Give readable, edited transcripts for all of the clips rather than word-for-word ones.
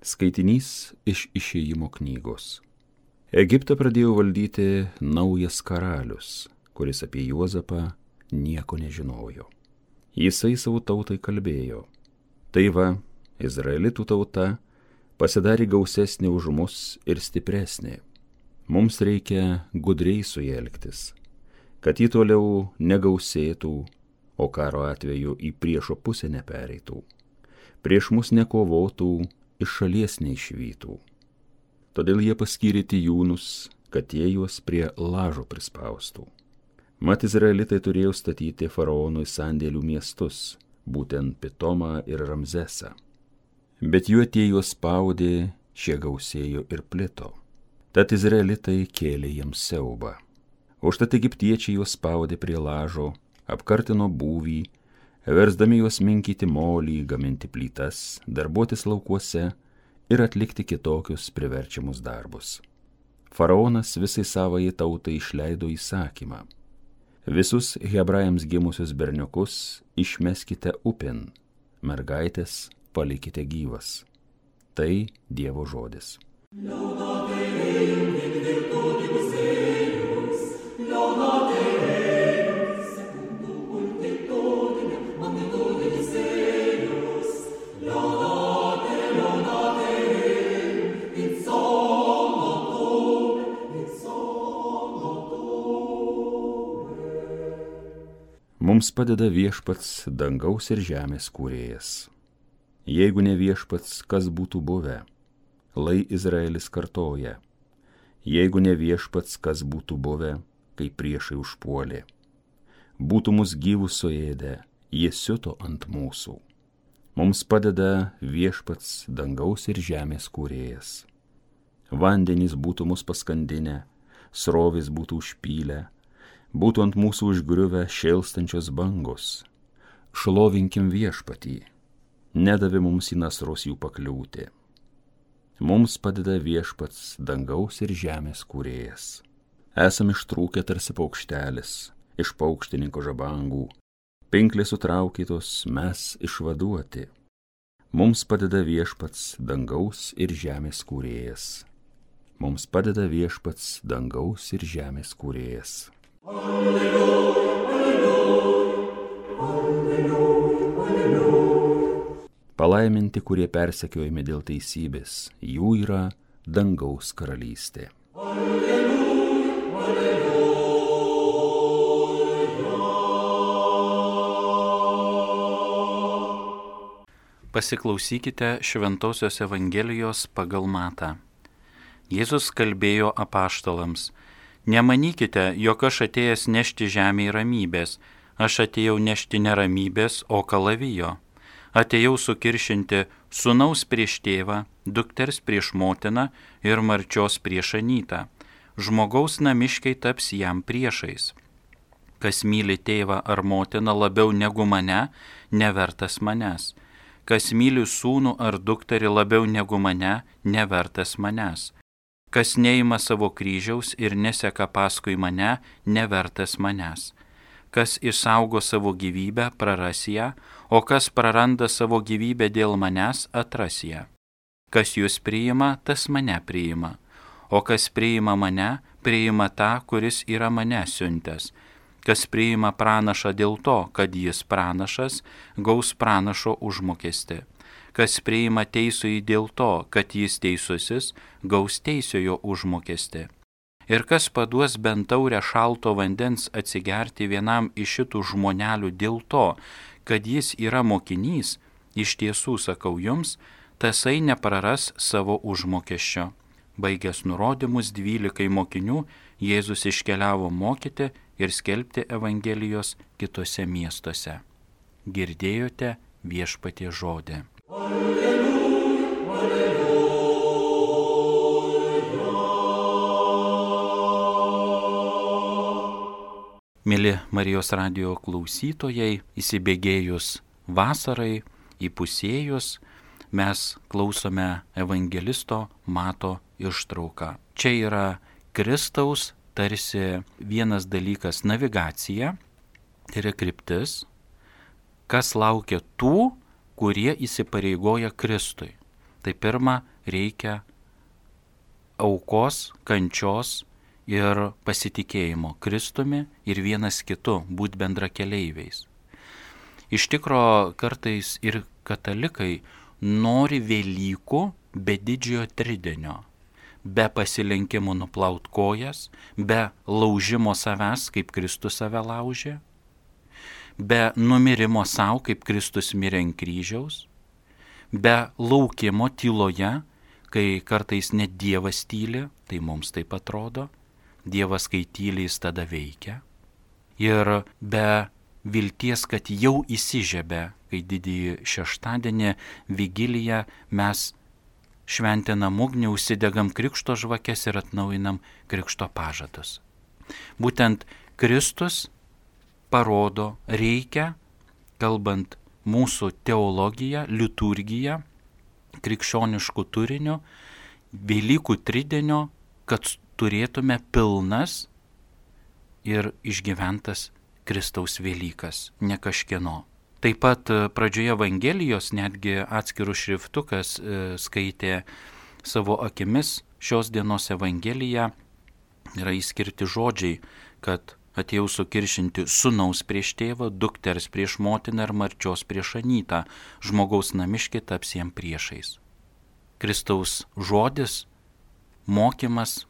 Skaitinys iš Išėjimo knygos. Egiptą pradėjo valdyti naujas karalius, kuris apie Juozapą nieko nežinojo. Jisai savo tautai kalbėjo: tai va, Izraelitų tauta pasidarė gausesnė už mus ir stipresnė. Mums reikia gudriai su ja elgtis, kad ji toliau negausėtų, o karo atveju į priešo pusę nepereitų, prieš mus nekovotų, iš šalies neišvytų. Todėl jie paskyrė tijūnus, kad jie juos prie lažo prispaustų. Mat izraelitai turėjo statyti faraonui sandėlių miestus, būtent Pitomą ir Ramzesą. Bet jų tie juos spaudė, šie gausėjo ir plito. Tad izraelitai kėlė jiems siaubą. Užtat egiptiečiai juos spaudė prie lažo, apkartino būvį, versdami juos minkyti molį, gaminti plytas, darbuotis laukuose ir atlikti kitokius priverčiamus darbus. Faraonas visai savai tautai išleido įsakymą: visus hebrajams gimusius berniukus išmeskite upin, mergaitės palikite gyvas. Tai Dievo žodis. Mums padeda Viešpats, dangaus ir žemės kūrėjas. Jeigu ne Viešpats, kas būtų buvę? Lai Izraelis kartoja: jeigu ne Viešpats, kas būtų buvę, kai priešai užpuolė? Būtų mus gyvus suėdę, jie siuto ant mūsų. Mums padeda Viešpats, dangaus ir žemės kūrėjas. Vandenys būtų mus paskandinę, srovės būtų užpylę, būtų ant mūsų užgriuvę šėlstančios bangos. Šlovinkim Viešpatį, nedavė mums į nasrus jų pakliūti. Mums padeda Viešpats, dangaus ir žemės kūrėjas. Esam ištrūkę tarsi paukštelis iš paukštininko žabangų, pinklės sutraukytos, mes išvaduoti. Mums padeda Viešpats, dangaus ir žemės kūrėjas. Mums padeda Viešpats, dangaus ir žemės kūrėjas. Alleluja, alleluja, alleluja, alleluja. Palaiminti, kurie persekiojami dėl teisybės, jų yra dangaus karalystė. Alleluja, alleluja. Pasiklausykite Šventosios Evangelijos pagal Matą. Jėzus kalbėjo apaštalams: nemanykite, jog aš atėjęs nešti žemėje ramybės, aš atėjau nešti ne ramybės, o kalavijo. Atėjau sukiršinti sūnaus prieš tėvą, dukters prieš motiną ir marčios prieš anytą. Žmogaus namiškiai taps jam priešais. Kas myli tėvą ar motiną labiau negu mane, nevertas manęs. Kas myli sūnų ar dukterį labiau negu mane, nevertas manęs. Kas neima savo kryžiaus ir neseka paskui mane, nevertas manęs. Kas išsaugo savo gyvybę, praras ją, o kas praranda savo gyvybę dėl manęs, atras ją. Kas jūs priima, tas mane priima, o kas priima mane, priima tą, kuris yra mane siuntęs. Kas priima pranašą dėl to, kad jis pranašas, gaus pranašo užmokestį. Kas priima teisųjį dėl to, kad jis teisusis, gaus teisiojo užmokestį. Ir kas paduos bent taurę šalto vandens atsigerti vienam iš šitų žmonelių dėl to, kad jis yra mokinys, iš tiesų sakau jums, tasai nepraras savo užmokesčio. Baigęs nurodymus 12 mokinių, Jėzus iškeliavo mokyti ir skelbti Evangelijos kitose miestuose. Girdėjote Viešpaties žodį. Alleluja, alleluja. Mėly Marijos radijo klausytojai, įsibėgėjus vasarai, įpusėjus, mes klausome evangelisto Mato ištrauką. Čia yra Kristaus tarsi vienas dalykas navigacija, tai yra kryptis, kas laukia tų, kurie įsipareigoja Kristui. Tai pirma, reikia aukos, kančios ir pasitikėjimo Kristumi ir vienas kitu, būt bendrakeleiviais. Iš tikro kartais ir katalikai nori Velykų be didžiojo tridienio, be pasilenkimo nuplaut kojas, be laužimo savęs, kaip Kristus save laužė, be numirimo savo, kaip Kristus mirė ant kryžiaus, be laukimo tyloje, kai kartais net Dievas tyli, tai mums taip atrodo, Dievas kai tyli jis tada veikia, ir be vilties, kad jau įsižiebė, kai didįjį šeštadienį vigiliją mes šventinam ugnį, užsidegam krikšto žvakes ir atnaujinam krikšto pažadus. Būtent Kristus parodo, reikia, kalbant mūsų teologiją, liturgiją, krikščioniškų turinių, Velykų tridienio, kad turėtume pilnas ir išgyventas Kristaus Velykas, ne kažkieno. Taip pat pradžioje Evangelijos netgi atskirų šriftukas skaitė savo akimis šios dienos Evangeliją, yra įskirti žodžiai, kad atėjau sukiršinti sūnaus prieš tėvą, dukters prieš motiną ir marčios prieš anytą, žmogaus namiškiai taps jiem priešais. Kristaus žodis, mokymas,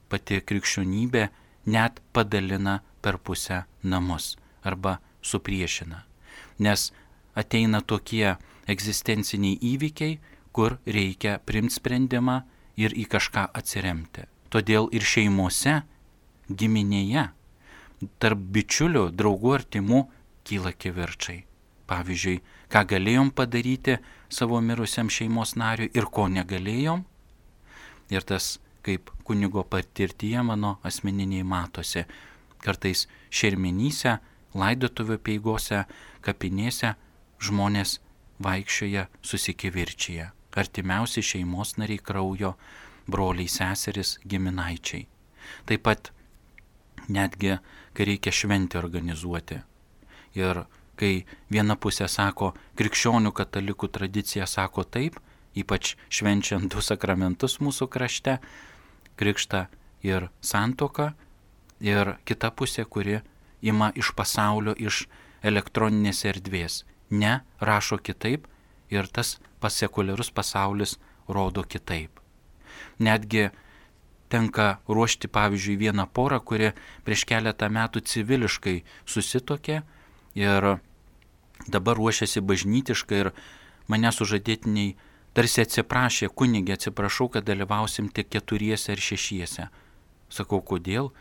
pati krikščionybė net padalina per pusę namus arba supriešina. Nes ateina tokie egzistenciniai įvykiai, kur reikia priimti sprendimą ir į kažką atsiremti. Todėl ir šeimose, giminėje, tarp bičiulių, draugų, artimų kyla kivirčai. Pavyzdžiui, ką galėjom padaryti savo mirusiam šeimos nariui ir ko negalėjom. Ir tas, kaip kunigo patirtyje mano asmeniniai matosi, kartais šermenyse, laidotuvių peigose, kapinėse žmonės vaikščioja susikivirčyje. Artimiausi šeimos nariai kraujo, broliai, seseris, giminaičiai. Taip pat netgi, kai reikia šventę organizuoti. Ir kai viena pusė sako, krikščionių katalikų tradicija sako taip, ypač švenčiant du sakramentus mūsų krašte, krikštą ir santuoką, ir kita pusė, kuri ima iš pasaulio, iš elektroninės erdvės. Ne, rašo kitaip ir tas sekuliarus pasaulis rodo kitaip. Netgi tenka ruošti, pavyzdžiui, vieną porą, kuri prieš keletą metų civiliškai susituokė ir dabar ruošiasi bažnytiškai ir mane sužadėtiniai tarsi atsiprašė, kunigė, atsiprašau, kad dalyvausim tik 4 ar 6. Sakau, kodėl?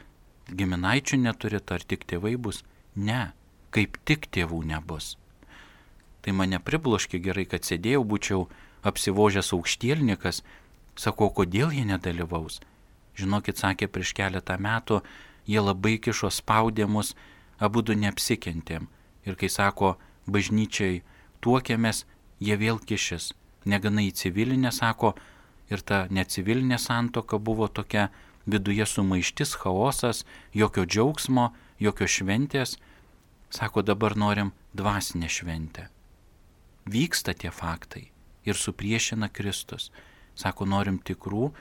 Giminaičių neturit, ar tik tėvai bus? Ne, kaip tik tėvų nebus. Tai mane pribloškė, gerai, kad sėdėjau, būčiau apsivožęs aukštielnikas. Sakau, kodėl jie nedalyvaus? Žinokit, sakė, prieš keletą metų jie labai kišo, spaudė mus, abudu neapsikentėm. Ir kai sako, bažnyčiai tuokėmės, jie vėl kišis. Negana į civilinę, sako, ir ta necivilinė santuoka buvo tokia viduje sumaištis, chaosas, jokio džiaugsmo, jokio šventės. Sako, dabar norim dvasinę šventę. Vyksta tie faktai ir supriešina Kristus. Sako, norim tikrų,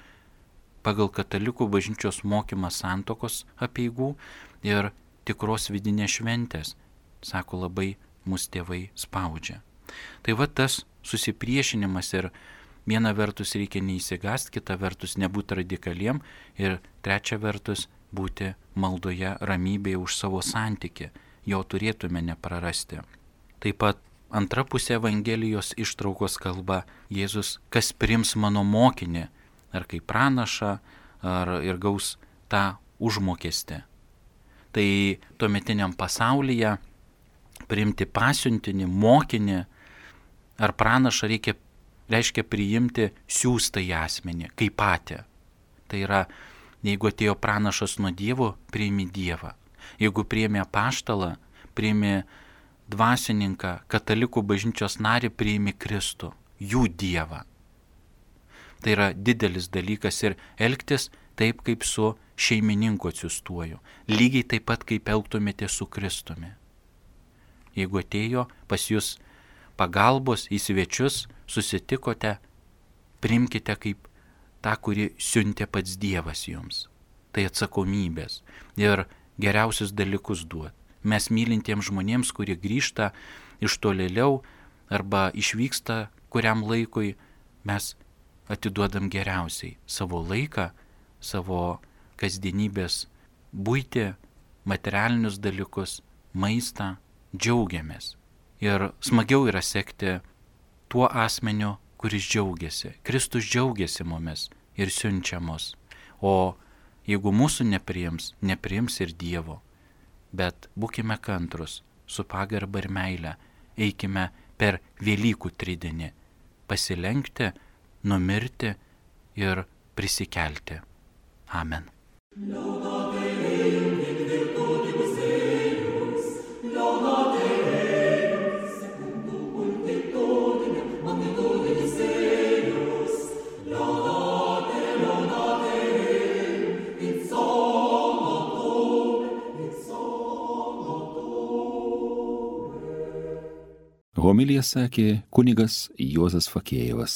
pagal katalikų bažnyčios mokymą santuokos apeigų ir tikros vidinės šventės. Sako, labai mus tėvai spaudžia. Tai va tas susipriešinimas ir viena vertus reikia neįsigast, kita vertus nebūti radikaliem ir trečia vertus būti maldoje, ramybėje už savo santykį, jo turėtume neprarasti. Taip pat antra pusė Evangelijos ištraukos kalba Jėzus, kas priims mano mokinį, ar kaip pranašą, ar ir gaus tą užmokestį. Tai tuometiniam pasaulyje priimti pasiuntinį, mokinį ar pranašą reiškia priimti siųstą į asmenį, kaip patį. Tai yra, jeigu atėjo pranašas nuo Dievo, priimi Dievą. Jeigu priimi apaštalą, priimi dvasininką, katalikų bažnyčios narį, priimi Kristų, jų Dievą. Tai yra didelis dalykas ir elgtis taip, kaip su šeimininku atsiųstuoju. Lygiai taip pat, kaip elgtumėte su Kristumi. Jeigu atėjo pas jūs pagalbos į svečius, susitikote, priimkite kaip tą, kurį siuntė pats Dievas jums. Tai atsakomybės ir geriausius dalykus duot. Mes mylintiems žmonėms, kurie grįžta iš tolėliau arba išvyksta kuriam laikui, mes atiduodam geriausiai savo laiką, savo kasdienybės buitį, materialinius dalykus, maistą, džiaugiamės. Ir smagiau yra sekti tuo asmeniu, kuris džiaugiasi. Kristus džiaugiasi mumis ir siunčia mus. O jeigu mūsų nepriims ir Dievo. Bet būkime kantrus, su pagarba ir meile, eikime per Velykų tridienį, pasilenkti, numirti ir prisikelti. Amen. Homiliją sakė kunigas Juozas Fakėjevas.